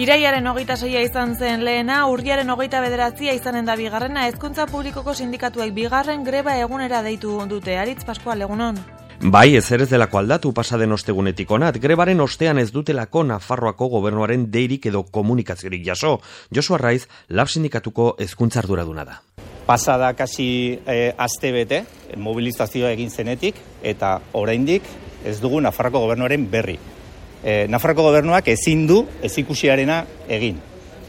Iraiaren 26 izan zen lehena, urriaren 29 izanen da bigarrena, hezkuntza publikoko sindikatuek bigarren greba egunera deitu dute. Aritz Pascual, egunon. Bai, ezer ez delako aldatu pasaden ostegunetik onat, grebaren ostean ez dutelako Nafarroako gobernuaren deirik edo komunikaziorik jaso. Josu Arraiz, Lab sindikatuko hezkuntza arduraduna da. Pasada kasi aste bete, mobilizazioa egin zenetik, eta oraindik ez dugu Nafarroako gobernuaren berri. Nafarroako gobernuak ezin du ezikusiarena egin.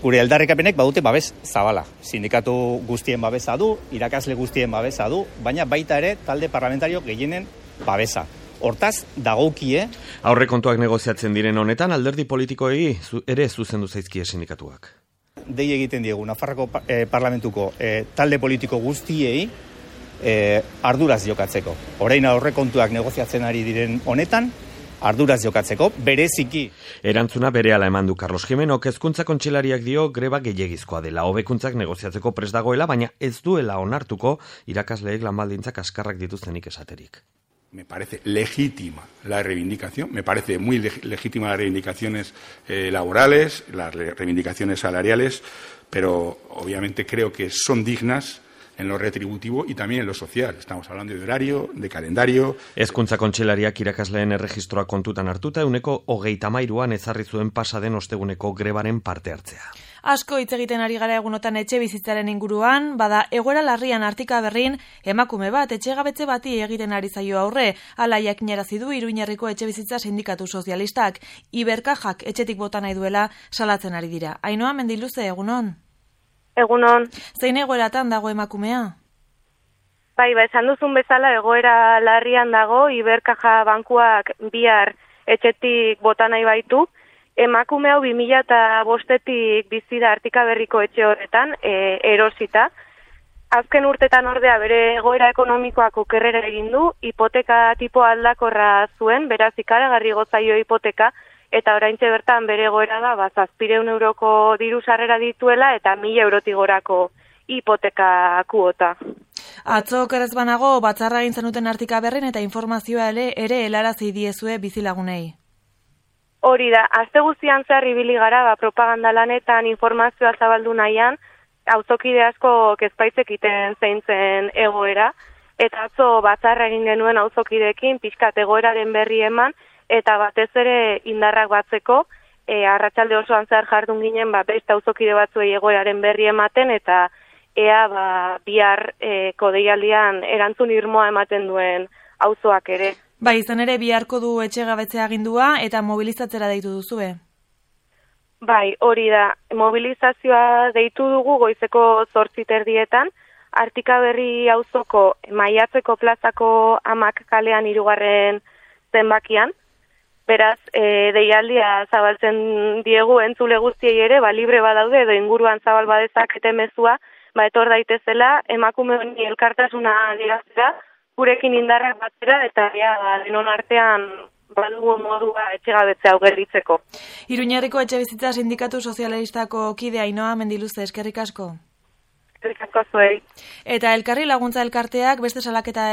Gure aldarrikapenek badute babes zabala. Sindikatu guztien babesa du, irakasle guztien babesa du, baina baita ere talde parlamentario gehienen babesa. Hortaz, dagokie. Aurrekontuak negoziatzen diren honetan, alderdi politikoei ere zuzendu zaizkie sindikatuak. Dei egiten diegu Nafarroako parlamentuko talde politiko guztiei arduraz jokatzeko. Orain aurrekontuak negoziatzen ari diren honetan, arduraz jokatzeko, bereziki. Erantzuna berehala eman du Carlos Jimenok, hezkuntza kontseilariak dio greba gehiegizkoa dela. Hobekuntzak negoziatzeko prest dagoela, baina ez duela onartuko irakasleek lanbaldintzak kaskarrak dituztenik esaterik. Me parece legítima la reivindicación, me parece muy legítima las reivindicaciones laborales, las reivindicaciones salariales, pero obviamente creo que son dignas en lo retributivo y también en lo social. Estamos hablando de horario, de calendario. Hezkuntza kontseilariak irakasleen erregistroa kontutan hartuta, 23an ezarri zuen pasaden osteguneko grebaren parte hartzea. Asko hitz egiten ari gara egunotan etxe bizitzaren inguruan, bada egoera larrian Artika Berrin emakume bat etxegabetze bati egiten ari zaio aurre, hala jakinarazi du Iruñerriko etxe bizitza sindikatu sozialistak. Iberkajak etxetik bota nahi duela salatzen ari dira. Ainhoa Mendiluze, egunon. Egunon. Zein egoeratan dago emakumea? Bai, esan duzun bezala egoera larrian dago, Iberkaja bankuak bihar etxetik bota nahi baitu. Emakume hau 2005-etik bizi da Artika Berriko etxe horretan, erosita. Azken urtetan ordea bere egoera ekonomikoak okerrera egin du, hipoteka tipo aldakorra zuen, beraz ikaragarri gozaio hipoteka, eta oraintxe bertan bere egoera da, 700 euroko diru sarrera dituela eta 1000 eurotik gorako hipoteka kuota. Atzo okerrez banago, batzarra egin zenuten Artika Berrin eta informazioa ere helarazi diezue bizilagunei. Hori da, aste guztian zehar ibili gara, propaganda lanetan informazioa zabaldu nahian, auzokide asko kezpaitzekiten zein zen egoera, eta atzo batzarra egin genuen auzokideekin pixkat egoeraren berri eman, eta batez ere indarrak batzeko, arratsalde osoan zehar jardun ginen, beste auzokide batzuei egoeraren berri ematen, eta ea bihar deialdian erantzun irmoa ematen duen auzoak ere. Bai, izan ere biharko du etxegabetzea agindua eta mobilizatzera deitu duzue. Bai, hori da. Mobilizazioa deitu dugu goizeko 8:30, Artika Berri auzoko Maiatzeko plazako Amak kalean 3. zenbakian. Beraz, deialdia zabaltzen diegu entzule guztiei ere, libre badaude edo inguruan zabal badezakete mezua, etor daitezela emakume honi elkartasuna adieraztera, gurekin indarrak batzera eta denon artean badugu modua etxegabetzea hau gelditzeko. Iruñerriko etxe bizitza sindikatu sozialistako kide Ainhoa Mendiluze, eskerrik asko. Eskerrik asko zuei. Eta Elkarri Laguntza Elkarteak beste salaketa